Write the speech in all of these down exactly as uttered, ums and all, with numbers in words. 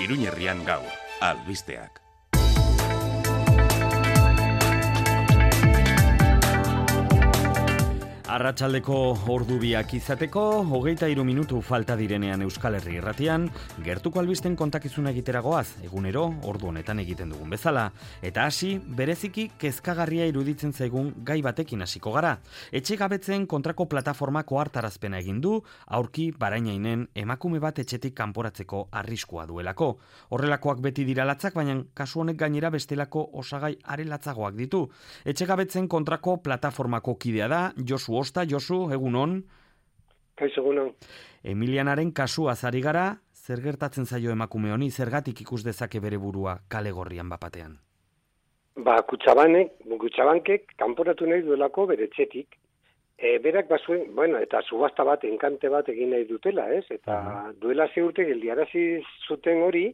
Iruñerrian gaur, albisteak. Arratsaldeko ordu biak izateko, hogeita hiru minutu falta direnean Euskal Herri Irratian, gertuko albisten kontakizuna egiteragoaz, egunero ordu honetan egiten dugun bezala. Eta hasi, bereziki kezkagarria iruditzen zaigun gai batekin hasiko gara. Etxegabetzen kontrako plataformako hartarazpena egin du, aurki barainainen emakume bat etxetik kanporatzeko arriskua duelako. Horrelakoak beti dira latzak, baina kasu honek gainera bestelako osagai arelatzagoak ditu. Etxegabetzen kontrako plataformako kidea da, Josu Osta, Josu, egunon. Kaixo, egunon. Emilianaren kasuaz ari gara, zer gertatzen zaio emakume honi, zergatik ikus dezake bere burua kale gorrian bapatean? Ba, Kutxabanek, Kutxabankek kanporatu nahi duelako bere etxetik. E, berak bazuen, bueno, eta subasta bat, enkante bat egin nahi dutela, ez? Eta uh-huh. duela ze urte geldiarazi zuten hori,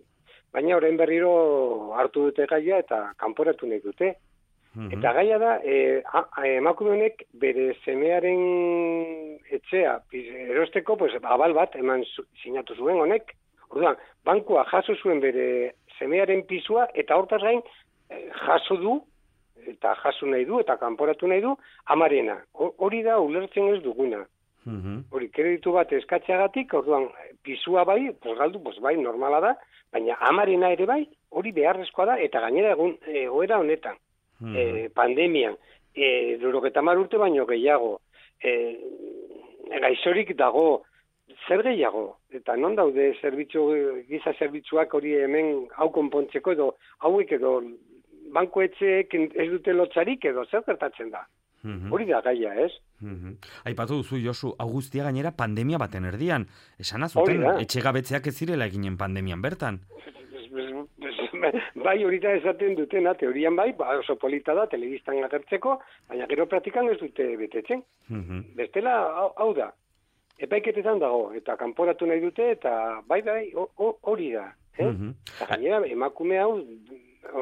baina orain berriro hartu dute gaia eta kanporatu nahi dute. Eta gaia da, e, emakume honek bere semearen etxea erosteko pues, abal bat eman zu, sinatu zuen honek. Orduan, bankua jaso zuen bere semearen pisua eta hortaz gain e, jaso du, eta jaso nahi du, eta kanporatu nahi du, amarena. Hori da ulertzen ez duguna. Hori, kreditu bat eskatzeagatik, orduan, pisua bai, pues galdu, pues bai, normala da, baina amarena ere bai, hori beharrezkoa da, eta gainera egun, e, oera honetan. Eh, pandemian, eh, lurogeta mar urte baino gehiago, eh, gaizorik dago, zer gehiago, eta non daude zerbitzu, giza zerbitzuak hori hemen hau konpontzeko edo, hauek edo, bankoetxeek ez dute lotzarik edo, zer gertatzen da? Mm-hmm. Hori da gaia, ez? Mm-hmm. Aipatu duzu, Josu, Augustia gainera pandemia baten erdian, esan azuten, etxegabetzeak ez zirela eginen pandemian bertan. Bai, hori da esaten dutena, teorian bai, ba, oso polita da, telebistan agertzeko, baina gero praktikan ez dute betetzen. Mm-hmm. Bestela, hau, hau da, epaiketetan dago, eta kanporatu nahi dute, eta bai, bai, hori da. Eh? Mm-hmm. Eta gainera, emakume hau,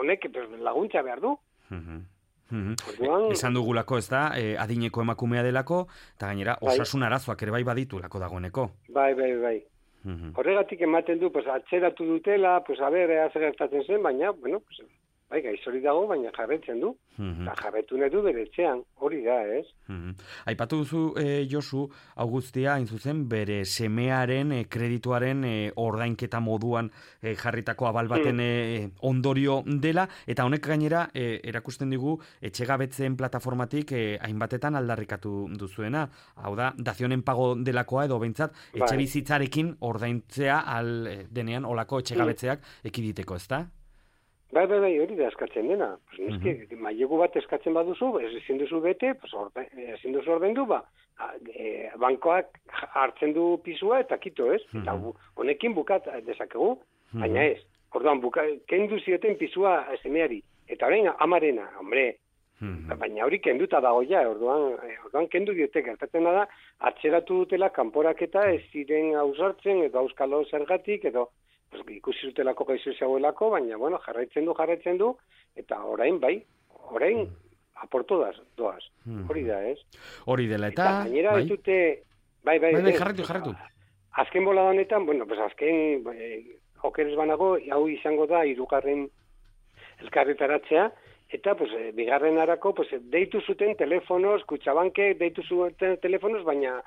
honek laguntza behar du. Mm-hmm. Mm-hmm. Orduan, esan dugulako ez da, eh, adineko emakumea delako, eta gainera, osasun arazoak ere bai baditulako dagoeneko. Bai, bai, bai. Mm-hmm. Horregatik ematen du, pues, atzeratu dutela, pues, a ber, ea zer gertatzen zen, baina, bueno, pues, bai, gaizori dago, baina jarretzen du. Mm-hmm. Eta jarretu nahi du bere etxean, hori da, ez? Mm-hmm. Aipatu duzu, eh, Josu, Augustia, hain zuzen, bere semearen, eh, kredituaren eh, ordainketa moduan eh, jarritako abal baten eh, ondorio dela, eta honek gainera, eh, erakusten digu, etxegabetzen plataformatik eh, hainbatetan aldarrikatu duzuena. Hau da, dazionen pago delakoa edo behintzat, etxe bizitzarekin ordaintzea al eh, denean olako etxegabetzeak ekiditeko, ez da? Bai, bai, bai, hori da eskatzen dena. Pues, mm-hmm. Mailegu bat eskatzen baduzu, ezin duzu bete, pues, orde, ezin duzu ordaindu, ba, e, bankoak hartzen du pisua eta kito, ez? Mm-hmm. Eta honekin bukat dezakegu, mm-hmm. baina ez. Orduan, buka, kendu zioten pisua semeari. Eta orain, amarena, hombre, mm-hmm. baina hori kenduta dago ja, orduan, orduan kendu diote, gertatzen da, atzeratu dutela kanporaketa ez ziren ausartzen, edo auskalo zergatik, edo pues, ikusi zutelako gaizu zegoelako, baina, bueno, jarraitzen du, jarraitzen du, eta orain, bai, orain, mm. aportu doaz, doaz. Mm. Hori da, ez? Hori dela, eta... Eta gainera bai? Ez dute... Bai, bai, bai, bai, jarraitu, jarraitu. Azken bola honetan, bueno, pues azken, eh, okeres banago, hau izango da, hirugarren elkarretaratzea, eta, pues, eh, bigarren arako, pues, deitu zuten telefonoz, Kutxabanke deitu zuten telefonoz, baina...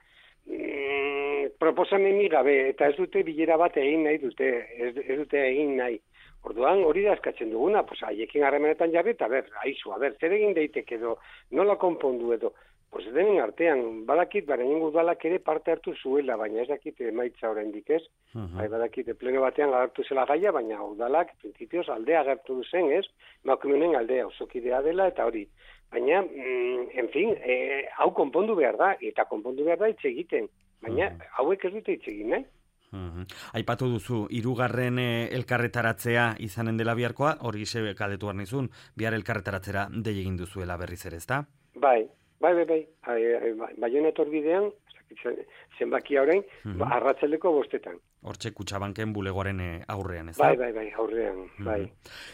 Mm, proposameni gabe, eta ez dute bilera bat egin nahi dute, ez, ez dute egin nahi. Orduan, hori da eskatzen duguna, pues, haiekin harremanetan jarri, eta ber, aizu, a ber, zer egin daiteke edo, nola konpondu edo, pues, denen artean, badakit, baren udalak ere parte hartu zuela, baina ez dakit emaitza oraindik ez, uh-huh. bai, badakit, pleno batean agertu zela gaia, baina udalak, principios, aldea agertu duzen, ez, emakumeen aldea, osokidea dela, eta hori. Baina, mm, en fin, eh, hau konpondu behar da, eta konpondu behar da hitz egiten. Baina, uh-huh. hauek ez dute hitz egin, nahi? Uh-huh. Aipatu duzu, hirugarren eh, elkarretaratzea izanen dela biharkoa, hori ise galdetu behar nizun, bihar elkarretaratzera dei egin duzuela berriz ere, ezta? Bai, bai, bai, bai, bai, Baionetor bidean, zenbakia orain, uh-huh. ba, arratsaldeko bostetan. Hortxe Kutxabanken bulegoaren aurrean, ez da? Bai, bai, bai, aurrean, uh-huh. bai.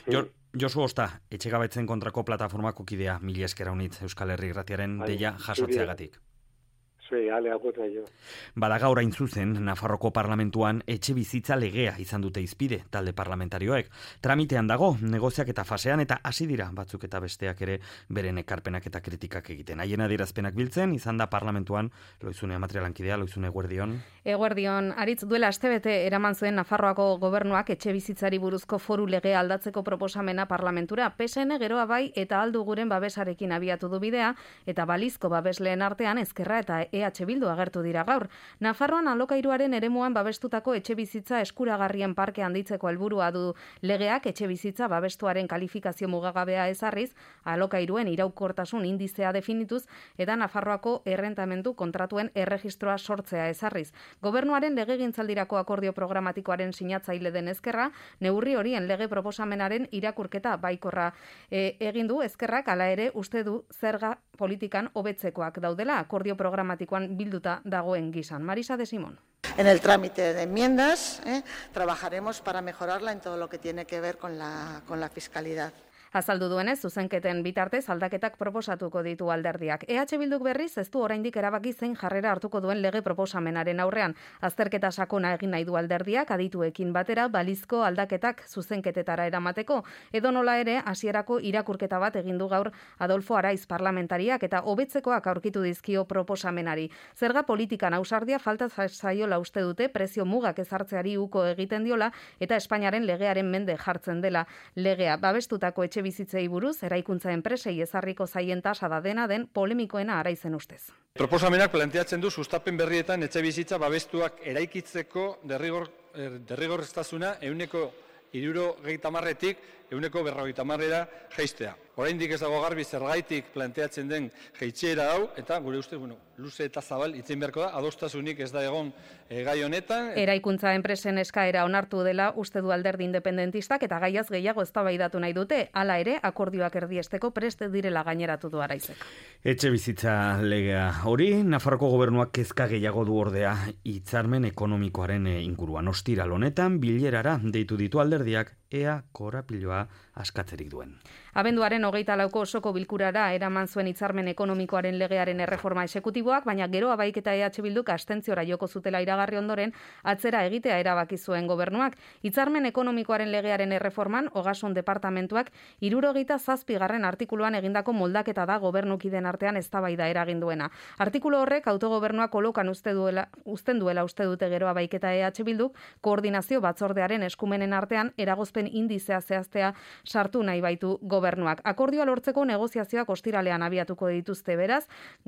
Jor, Josu Osta, etxegabetzen kontrako plataformako kidea, mila esker haunitz Euskal Herri Irratiaren bai, deia jasotzeagatik. Zue, ale agurra jo. Bada gaur hain zuzen, Nafarroko parlamentuan etxe bizitza legea izan dute izpide talde parlamentarioek. Tramitean dago, negoziak eta fasean eta hasi dira batzuk eta besteak ere beren ekarpenak eta kritikak egiten. Haien adierazpenak biltzen, izan da parlamentuan, Loizune materialankidea, Loizune Eguerdion. Eguerdion, aritz duela astebete eraman zuen Nafarroako gobernuak etxe bizitzari buruzko foru legea aldatzeko proposamena parlamentura. P S N geroa bai eta aldu guren babesarekin abiatu du bidea eta balizko babesleen artean Ezkerra eta E H Bildu agertu dira gaur. Nafarroan alokairuaren eremuan babestutako etxe bizitza eskuragarrien parke handitzeko helburua du legeak etxe bizitza babestuaren kalifikazio mugagabea ezarriz, alokairuen iraukortasun indizea definituz eta Nafarroako errentamendu kontratuen erregistroa sortzea ezarriz. Gobernuaren legegintzaldirako akordio programatikoaren sinatzaile den Ezkerra, neurri horien lege proposamenaren irakurketa baikorra e, egin du. Ezkerrak hala ere uste du zerga politikan hobetzekoak daudela akordio programatikoan bilduta dagoen gisan. Marisa de Simón. En el trámite de enmiendas eh, trabajaremos para mejorarla en todo lo que tiene que ver con la, con la fiscalidad. Azaldu duenez, zuzenketen bitartez aldaketak proposatuko ditu alderdiak. E H Bilduk berriz ez du oraindik erabaki zein jarrera hartuko duen lege proposamenaren aurrean. Azterketa sakona egin nahi du alderdiak adituekin batera balizko aldaketak zuzenketetara eramateko. Edo nola ere, hasierako irakurketa bat egin du gaur Adolfo Araiz parlamentariak eta hobetzekoak aurkitu dizkio proposamenari. Zerga politikan ausardia falta zaiola uste dute, prezio mugak ezartzeari uko egiten diola eta Espainiaren legearen mende jartzen dela legea. Babestutako etxe bizitzei buruz, eraikuntza enpresei ezarriko zaien tasa da dena den polemikoena Araizen ustez. Proposamenak planteatzen du sustapen berrietan etxe bizitza babestuak eraikitzeko derrigor, derrigorreztasuna ehuneko hirurogeita hamarretik ehuneko berrogeita hamarrera jaistea. Oraindik ez dago garbi zergaitik planteatzen den jaitsiera hau eta gure uste, bueno, luze eta zabal itzen beharko da, adostasunik ez da egon e, gai honetan. Eraikuntza enpresen eskaera onartu dela uste du alderdi independentistak eta gaiaz gehiago eztabaidatu nahi dute. Hala ere, akordioak erdiesteko prest direla gaineratu du Araizek. Etxe bizitza legea hori, Nafarroko gobernuak kezka gehiago du ordea hitzarmen ekonomikoaren inguruan. Ostiral honetan bilerara deitu ditu alderdiak ea korapiloa askatzerik duen. Abenduaren hogeita lauko osoko bilkurara eraman zuen hitzarmen ekonomikoaren legearen erreforma exekutiboak, baina gero abaik eta E H Bilduk abstentziora joko zutela iragarri ondoren atzera egitea erabaki zuen gobernuak. Hitzarmen ekonomikoaren legearen erreforman Ogasun departamentuak hirurogeita zazpigarren artikuluan egindako moldaketa da gobernukiden artean eztabaida eragin duena. Artikulu horrek autogobernuak kolokan uste duela, uzten duela uste dute gero abaik eta E H Bilduk koordinazio batzordearen eskumenen artean eragozpen indizea zehaztea sartu nahi baitu gobernuak. Akordioa lortzeko negoziazioak ostiralean abiatuko dituzte beraz,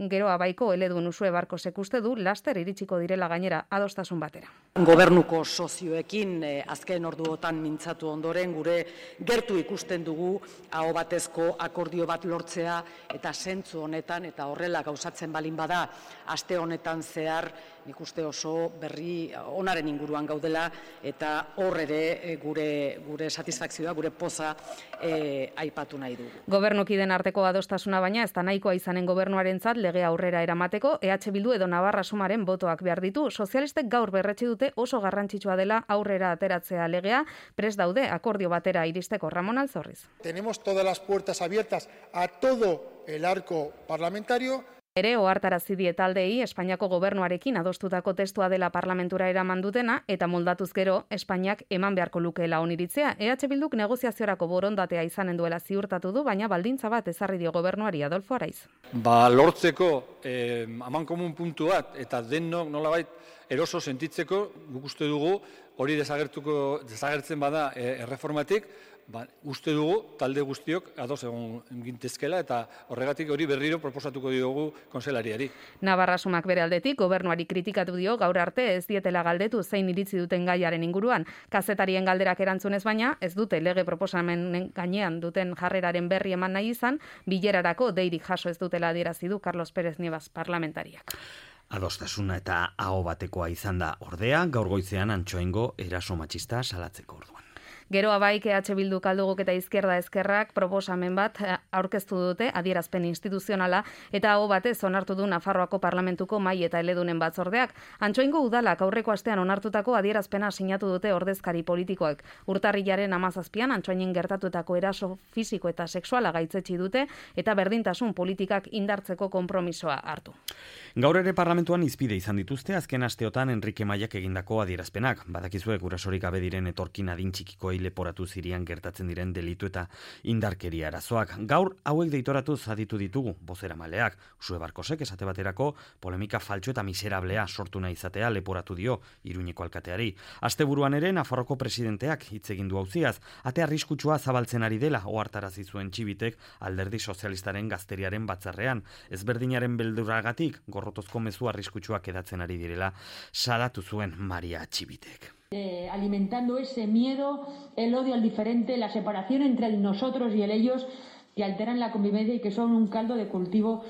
gero abaiko eledun Usue Barkosek uste du laster iritsiko direla gainera adostasun batera. Gobernuko sozioekin eh, azken orduotan mintzatu ondoren gure gertu ikusten dugu aho batezko akordio bat lortzea eta zentzu honetan eta horrela gauzatzen balin bada aste honetan zehar nik uste oso berri onaren inguruan gaudela eta hor ere gure gure satisfakzioa, gure poza e, aipatu nahi dugu. Gobernukiden arteko adostasuna baina ez da nahikoa izanen gobernuarentzat lege aurrera eramateko, E H Bildu edo Navarra Sumaren botoak behar ditu. Sozialistek gaur berretsi dute oso garrantzitsua dela aurrera ateratzea legea, prest daude akordio batera iristeko. Ramon Alzorriz. Tenemos todas las puertas abiertas a todo el arco parlamentario. Ere ohartarazi die taldeei Espainiako gobernuarekin adostutako testua dela parlamentura eraman dutena eta moldatuz gero Espainiak eman beharko lukeela oniritzea. E H Bilduk negoziaziorako borondatea izanen duela ziurtatu du, baina baldintza bat ezarri dio gobernuari Adolfo Araiz. Ba, lortzeko eh, amankomun puntu bat eta denok nolabait eroso sentitzeko guk uste dugu hori desagertuko desagertzen bada eh, erreformatik. Ba, uste dugu talde guztiok ados egon gintezkela eta horregatik hori berriro proposatuko diogu konselariari. Navarra Sumak bere aldetik gobernuari kritikatu dio gaur arte ez dietela galdetu zein iritzi duten gaiaren inguruan. Kazetarien galderak erantzunez baina ez dute lege proposamenen gainean duten jarreraren berri eman nahi izan, bilerarako deirik jaso ez dutela adierazi du Carlos Pérez Nievas parlamentariak. Adostasuna eta aho batekoa izan da ordea, gaur goizean Antxoaingo eraso matxista salatzeko orduan. Geroa bai, E H Bildu kalduguk eta izquierda ezkerrak proposamen bat aurkeztu dute adierazpen instituzionala eta aho batez onartu du Nafarroako Parlamentuko Mahai eta Eledunen batzordeak. Antsoaingo udalak aurreko astean onartutako adierazpena sinatu dute ordezkari politikoek. Urtarrilaren hamazazpian Antsoainen gertatutako eraso fisiko eta sexuala gaitzetsi dute eta berdintasun politikak indartzeko konpromisoa hartu. Gaur ere parlamentuan izpide izan dituzte azken asteotan Enrique Maiak egindako adierazpenak. Badakizue gurasorik gabe diren etorkin adin txikikoei leporatu Sirian gertatzen diren delitu eta indarkeria arazoak. Gaur hauek deitoratu aditu ditugu bozeramaleak. Usue Barkosek esate baterako polemika faltsu eta miserablea sortu nahi izatea leporatu dio Iruñeko alkateari. Asteburuan ere Nafarroko presidenteak hitz egin du auziaz, ate arriskutsua zabaltzen ari dela ohartarazi zuen Txibitek Alderdi Sozialistaren gazteriaren batzarrean. Ezberdinaren beldurragatik gorrotozko mezu arriskutsuak edatzen ari direla salatu zuen Maria Txibitek. Eh, alimentando ese miedo, el odio al diferente, la separación entre el nosotros y el ellos, que alteran la convivencia y que son un caldo de cultivo.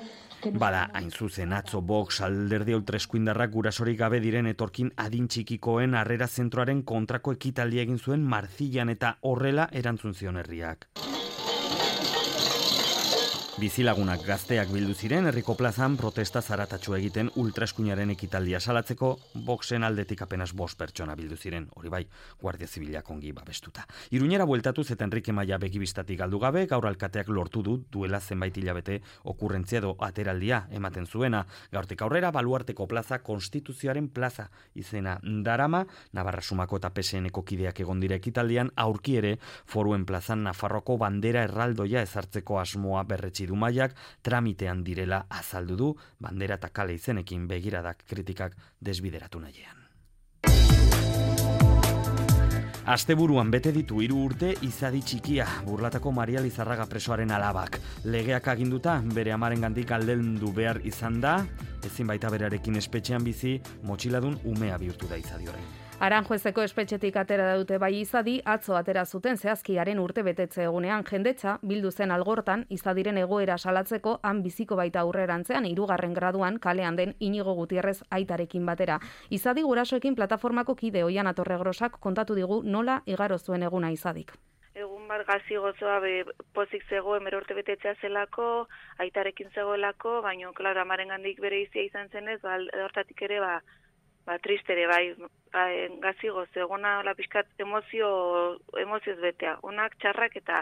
Bada, hain zuzen atzo Vox alderdi ultraeskuindarrak gurasorik gabe diren etorkin adin txikikoen harrera zentroaren kontrako ekitaldia egin zuen Marzilan eta horrela erantzun zion herriak. Bizilagunak gazteak bildu ziren herriko plazan protesta zaratatxu egiten ultraeskuinaren ekitaldia salatzeko Voxen aldetik apenas bost pertsona bildu ziren, hori bai, Guardia Zibilak ongi babestuta. Iruñera bueltatuz eta Enrique Maia begibistatik galdu gabe, gaur alkateak lortu du duela zenbait hilabete okurrentzia edo ateraldia ematen zuena. Gaurtik aurrera baluarteko plaza konstituzioaren plaza izena darama, Navarra Sumako eta P S N-ko kideak egon dira ekitaldian, aurki ere foruen plazan Nafarroko bandera erraldoia ezartzeko asmoa berretsi du Maiak, tramitean direla azaldu du, bandera eta kale izenekin begiradak kritikak desbideratu nahian. Asteburuan bete ditu hiru urte izadi txikia, Burlatako Maria Lizarraga presoaren alabak. Legeak aginduta bere amarengandik aldendu behar izan da, ezin baita berarekin espetxean bizi, motxiladun umea bihurtu da izadi orain. Aranjuezeko espetxetik atera dute bai izadi, atzo atera zuten zehazkiaren urte betetze egunean jendetza, bildu zen algortan, izadiren egoera salatzeko han biziko baita aurrerantzean hirugarren graduan kalean den Inigo Gutierrez aitarekin batera. Izadi gurasoekin plataformako kide Oian Atorregrosak kontatu digu nola igaro zuen eguna izadik. Egun bat gazi gozoa be, pozik zegoen bere urte betetzea zelako, aitarekin zegoelako, baina, klaro, amarengandik bere izia izan zenez, ba, hortatik ere, ba, Ba, tristere, bai, ba, gazigo, zegona la pixkat emozio, emozioz betea, onak, txarrak eta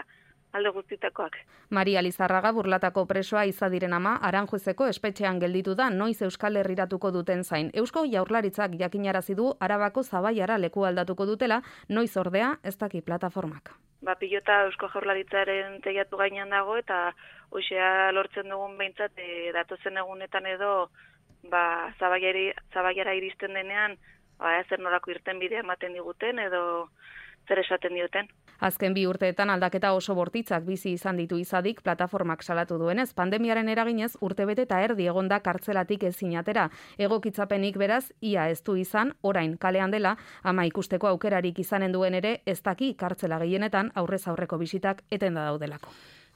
alde guztitakoak. Maria Lizarraga Burlatako presoa izadiren ama, Aranjuezeko espetxean gelditu da noiz Euskal Herriratuko duten zain. Eusko Jaurlaritzak jakinarazi du Arabako Zabaiara leku aldatuko dutela, noiz ordea ez daki plataformak. Ba, pilota Eusko Jaurlaritzaren teiatu gainean dago eta hoxea lortzen dugun behintzat e, datozen egunetan edo ba, zabaiari, zabaiara iristen denean, ba, zer norako irten bidea ematen diguten edo zer esaten dioten. Azken bi urteetan aldaketa oso bortitzak bizi izan ditu izadik plataformak salatu duenez, pandemiaren eraginez urtebete eta erdi egonda kartzelatik ezin atera. Egokitzapenik beraz, ia ez du izan, orain kalean dela, ama ikusteko aukerarik izanen duen ere, ez daki kartzela gehienetan aurrez aurreko bisitak etenda daudelako.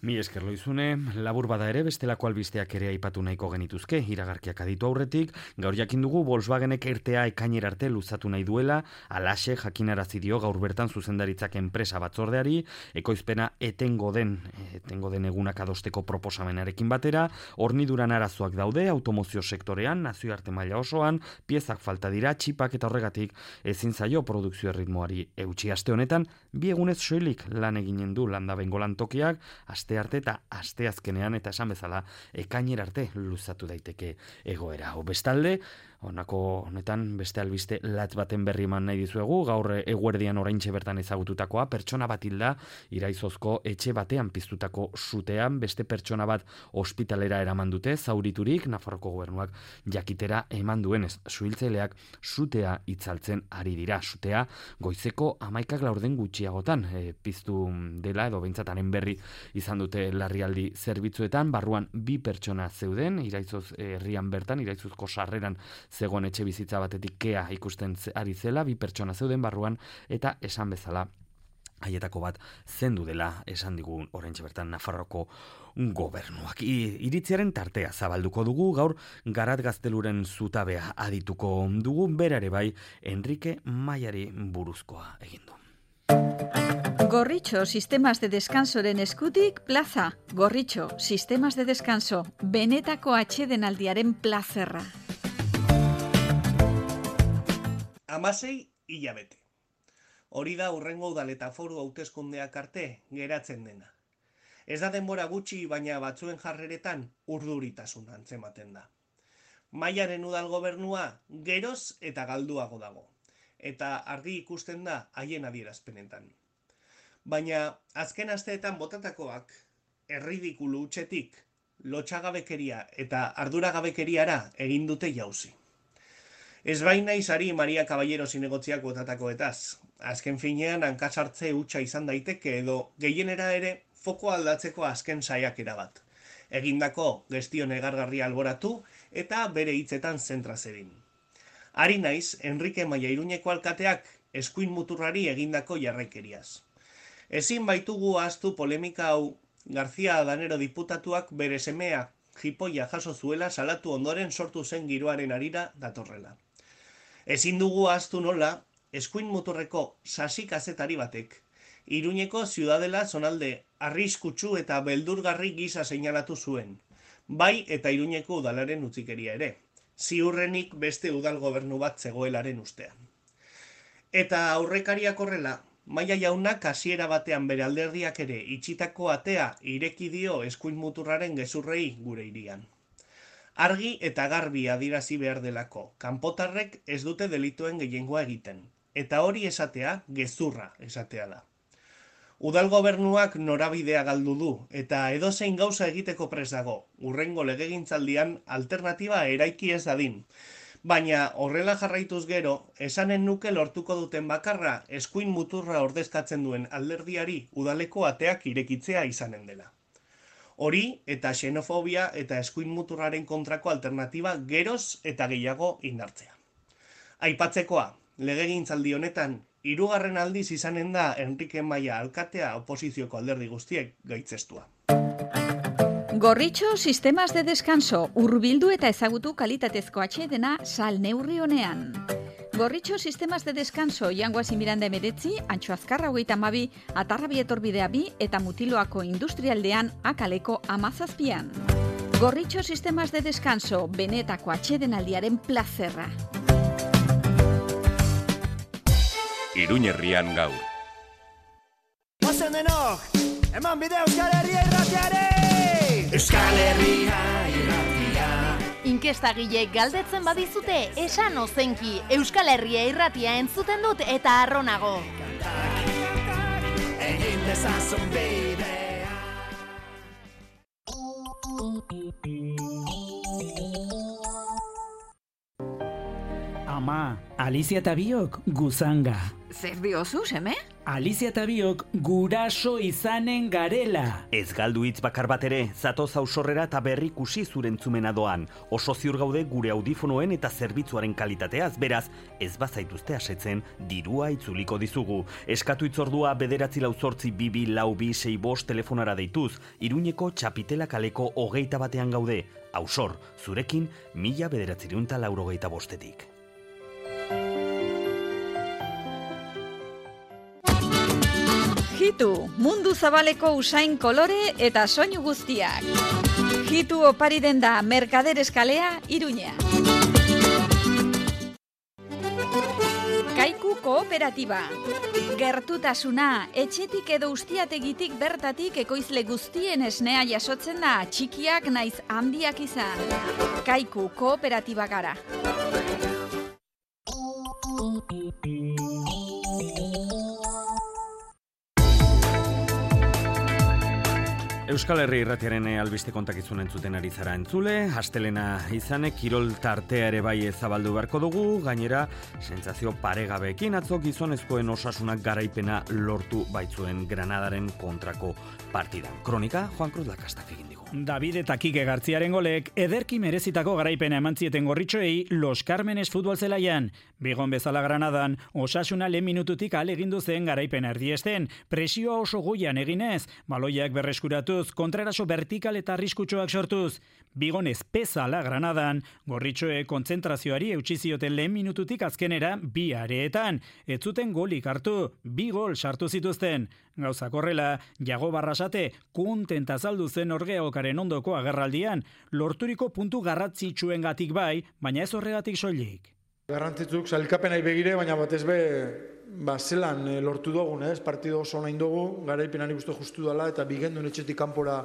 Mi esker Loizune, labur bada ere bestelako albisteak ere aipatu nahiko genituzke, iragarkiak aditu aurretik, gaur jakin dugu Volkswagenek ertea ekainera arte luzatu nahi duela, alaxe jakinarazi dio gaur bertan zuzendaritzak enpresa batzordeari, ekoizpena etengo den, etengo den egunak adosteko proposamenarekin batera, horniduran arazoak daude, automozio sektorean, nazioarte maila osoan, piezak falta dira, txipak eta horregatik ezin zaio produkzio erritmoari eutsi. Aste honetan, bi egunez soilik lan eginen du landabengo lantokiak, aste arte eta aste azkenean eta esan bezala ekainera arte luzatu daiteke egoera. O bestalde, honako honetan beste albiste latz baten berri eman nahi dizuegu, gaur eguerdian oraintxe bertan ezagututakoa, pertsona bat hilda Iraizozko etxe batean piztutako sutean, beste pertsona bat ospitalera eraman dute, zauriturik Nafarroko gobernuak jakitera eman duenez, suhiltzaileak sutea itzaltzen ari dira. Sutea goizeko hamaikak laurden gutxiagotan e, piztu dela edo behintzataren berri izan dute larrialdi zerbitzuetan, barruan bi pertsona zeuden, Iraizoz herrian bertan, Iraizozko sarreran zegoen etxe bizitza batetik kea ikusten ari zela, bi pertsona zeuden barruan, eta esan bezala haietako bat zendu dela esan digun oraintxe bertan Nafarroko gobernuak. I, iritziaren tartea zabalduko dugu, gaur Garat Gazteluren zutabea adituko dugu, berare bai Enrique Maiari buruzkoa egin du. Gorritxo Sistemas de Descansoren eskutik plaza. Gorritxo Sistemas de Descanso, benetako atsedenaldiaren plazerra. Hamasei hilabete. Hori da hurrengo udal eta foru hauteskundeak arte geratzen dena. Ez da denbora gutxi, baina batzuen jarreretan urduritasun antzematen da. Maiaren udal gobernua geroz eta galduago dago, eta argi ikusten da haien adierazpenetan. Baina azken asteetan botatakoak erridikulu hutsetik lotxagabekeria eta arduragabekeriara egin dute jauzi. Ez baina izari Maria Caballero zinegotziak botatakoetaz. Azken finean hankasartze hutsa izan daiteke edo gehienera ere foko aldatzeko azken saiakera bat. Egindako gestio negargarria alboratu eta bere hitzetan zentraz egin. Ari naiz, Enrique Maia Iruñeko alkateak eskuin muturrari egindako jarraikeriaz. Ezin baitugu ahaztu polemika hau García Danero diputatuak bere semea jipoia jaso zuela salatu ondoren sortu zen giroaren harira datorrela. Ezin dugu ahaztu nola, eskuin muturreko sasi kazetari batek Iruñeko Ziudadela zonalde arriskutsu eta beldurgarri gisa seinalatu zuen, bai eta Iruñeko udalaren utzikeria ere, ziurrenik beste udal gobernu bat zegoelaren ustean. Eta aurrekariak horrela, Maia jaunak hasiera batean bere alderdiak ere itxitako atea ireki dio eskuin muturraren gezurrei gure hirian. Argi eta garbi adirazi behar delako, kanpotarrek ez dute delituen gehiengoa egiten, eta hori esatea gezurra esatea da. Udal gobernuak norabidea galdu du, eta edozein gauza egiteko prest dago, hurrengo legegintzaldian alternatiba eraiki ez dadin. Baina horrela jarraituz gero, esanen nuke lortuko duten bakarra eskuin muturra ordezkatzen duen alderdiari udaleko ateak irekitzea izanen dela. Hori eta xenofobia eta eskuin muturraren kontrako alternatiba geroz eta gehiago indartzea. Aipatzekoa, legegintzaldi honetan, hirugarren aldiz izanen da Enrique Maia alkatea oposizioko alderdi guztiek gaitzestua. Gorritxo Sistemas de Descanso, hurbildu eta ezagutu kalitatezko atsedena sal neurri honean. Gorritxo Sistemas de Descanso, Jangoazi Miranda emeretzi, Antxo Azkarra hogeita hamabi, Atarrabi etorbidea bi eta Mutiloako industrialdean akaleko amazazpian. Gorritxo Sistemas de Descanso, benetako atsedenaldiaren plazerra. Iruñerrian gaur. Ozen denok, eman bide Euskal Herria irratiare! Euskal Herria irratia. Inkestagilek galdetzen badizute, esan ozenki, Euskal Herria irratia entzuten dut eta arronago. Egin dezazun bidea. Ama, Alicia eta biok guzanga. Zer diozu, seme? Alicia eta biok guraso izanen garela. Ez galdu hitz bakar bat ere, zatoz ausorrera eta berrikusi zurentzumena doan. Oso ziur gaude gure audifonoen eta zerbitzuaren kalitateaz, beraz, ez bazaituzte asetzen, dirua itzuliko dizugu. Eskatu itzordua bederatzi lau zortzi bibi lau bi sei bost telefonara deituz, Iruñeko Txapitela kaleko hogeita batean gaude. Ausor, zurekin, mila bederatzireunta laurogeita bostetik. Hitu, mundu zabaleko usain kolore eta soinu guztiak. Hitu opari den da Merkader Eskalea, Iruña. Kaiku Kooperatiba. Gertutasuna, etxetik edo ustiategitik bertatik ekoizle guztien esnea jasotzen da, txikiak naiz handiak izan. Kaiku Kooperatiba gara. Euskal Herri irratiaren albiste kontakizun entzuten ari zara entzule, astelena izanek kirol tartea ere bai zabaldu beharko dugu, gainera sentsazio paregabeekin atzo gizonezkoen osasunak garaipena lortu baitzuen Granadaren kontrako partidan. Kronika, Juan Cruz Lakastak egin digu. David eta Kike Gartziaren golek ederki merezitako garaipena eman zieten Gorritxoei Los Cármenes futbol zelaian. Bigon bezala Granadan, Osasuna lehen minututik alegindu zen garaipena erdiesten, presioa oso goian eginez, baloiak berreskuratuz, kontraraso vertikal eta arriskutsuak sortuz. Bigon ezpezala Granadan, Gorritxoe kontzentrazioari eutsi zioten lehen minututik azkenera bi areetan. Ez zuten golik hartu, bi gol sartu zituzten. Gauzak horrela, Jago Barrasate kontenta azaldu zen Orgeokaren ondoko agerraldian, lorturiko puntu garrantzitsuengatik bai, baina ez horregatik soilik. Garrantzitzuk sailkapenai begire, baina batez be, ba, zelan e, lortu dugun, ez? Partido oso nahi dugu, garaipenari guztu justu dela, eta bigendun etxetik kanpora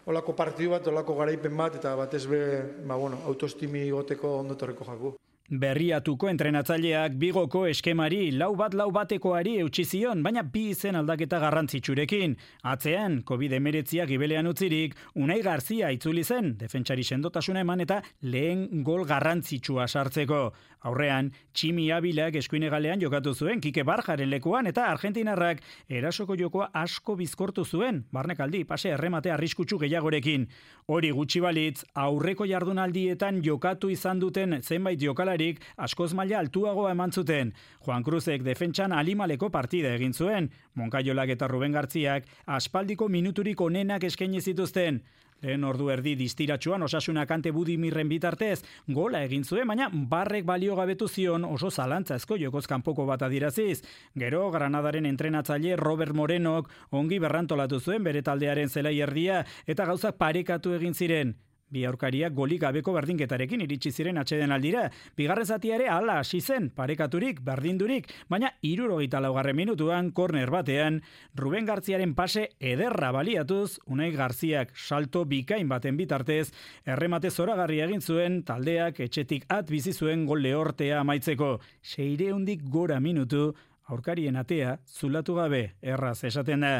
olako partidu bat, olako garaipen bat, eta batez be, ba, bueno, autoestimi goteko ondotorreko jaku. Berriatuko entrenatzaileak Bigoko eskemari lau bat lau batekoari eutsi zion, baina bi izen aldaketa garrantzitsurekin. Atzean, covid hemeretziak gibelean utzirik, Unai Garzia itzuli zen, defentsari sendotasuna eman eta lehen gol garrantzitsua sartzeko. Aurrean, Tximi Abilak eskuinegalean jokatu zuen, Kike Barjaren lekuan, eta Argentinarrak erasoko jokoa asko bizkortu zuen, barnekaldi, pase erremate arriskutsu gehiagorekin. Hori gutxi balitz, aurreko jardunaldietan jokatu izan duten zenbait jokalarik askoz maila altuagoa eman zuten. Juan Cruzek defentsan alimaleko partida egin zuen, Moncayolak eta Ruben Gartziak aspaldiko minuturik onenak eskaini zituzten. Lehen ordu erdi distiratsuan Osasuna Kante Budimirren bitartez gola egin zuen, baina barrek balio gabetu zion oso zalantzazko jokoz kanpoko bat adiraziz. Gero Granadaren entrenatzaile Robert Morenok ongi berrantolatu zuen bere taldearen zelai erdia eta gauzak parekatu egin ziren. Bi aurkariak golik gabeko berdinketarekin iritsi ziren atxeden aldira. Bigarren zatia ere hala hasi zen, parekaturik, berdindurik, baina hirurogeita laugarren minutuan korner batean, Ruben Gartziaren pase ederra baliatuz, Unai Garziak salto bikain baten bitartez, erremate zoragarria egin zuen, taldeak etxetik at bizi zuen gol lehortea amaitzeko. Seireundik gora minutu, aurkarien atea zulatu gabe, erraz esaten da.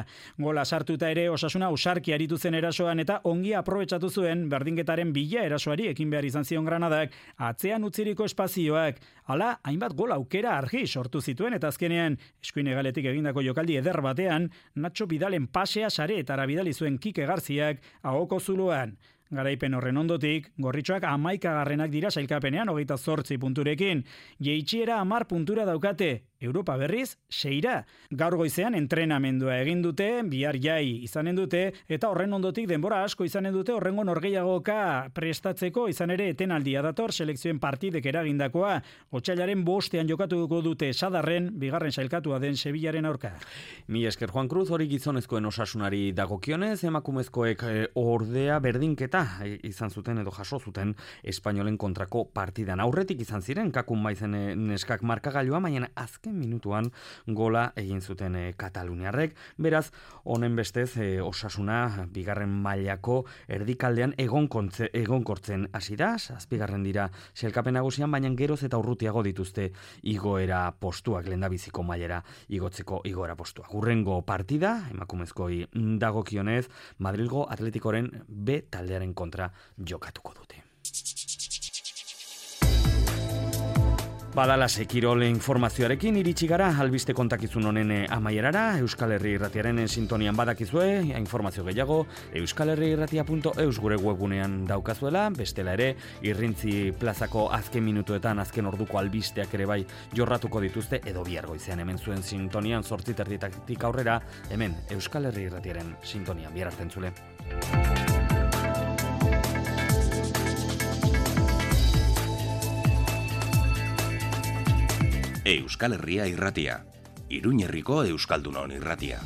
Gola sartuta ere Osasuna usarki aritu zen erasoan eta ongi aprobetxatu zuen berdinketaren bila erasoari ekin behar izan zion Granadak, atzean utziriko espazioak. Hala, hainbat gol aukera argi sortu zituen eta azkenean, eskuinegaletik egindako jokaldi eder batean, Nacho Bidalen pasea sareetara bidali zuen Kike Garziak ahoko zuloan. Garaipen horren ondotik, Gorritxoak hamaikagarrenak dira sailkapenean hogeita zortzi punturekin. Jeitsiera hamar puntura daukate, Europa berriz, seira. Gaur goizean entrenamendua egin dute, bihar jai izanen dute, eta horren ondotik denbora asko izanen dute horrengo norgehiagoka prestatzeko, izan ere etenaldia dator selekzioen partidek eragindakoa. Otsailaren bostean jokatuko dute Sadarren, bigarren sailkatua den Sevillaren aurka. Mi esker Juan Cruz, hori gizonezkoen Osasunari dagokionez, emakumezkoek ordea berdinketa izan zuten edo jaso zuten Espainolen kontrako partidan. Aurretik izan ziren, kakun baizen neskak markagailua, baina azken minutuan gola egin zuten e, Kataluniarrek. Beraz, honen bestez e, Osasuna bigarren mailako erdikaldean egonkortzen egon hasi da, azpigarren dira sailkapen nagusian, baina geroz eta urrutiago dituzte igoera postuak, lehendabiziko mailera igotzeko igoera postuak. Hurrengo partida, emakumezkoi dagokionez, Madrilgo Atletikoren B taldearen kontra jokatuko dute. Badala sekirole informazioarekin iritsi gara albiste kontakizun honen amaierara. Euskal Herri Irratiaren sintonian badakizue, informazio gehiago euskal herri irratia punto eus gure webgunean daukazuela, bestela ere Irrintzi plazako azken minutuetan azken orduko albisteak ere bai jorratuko dituzte, edo bihar goizean hemen zuen sintonian zortzi terditatik aurrera, hemen Euskal Herri Irratiaren sintonian. Bihar arte entzule. Euskal Herria Irratia, Iruñerriko Euskaldunon Irratia.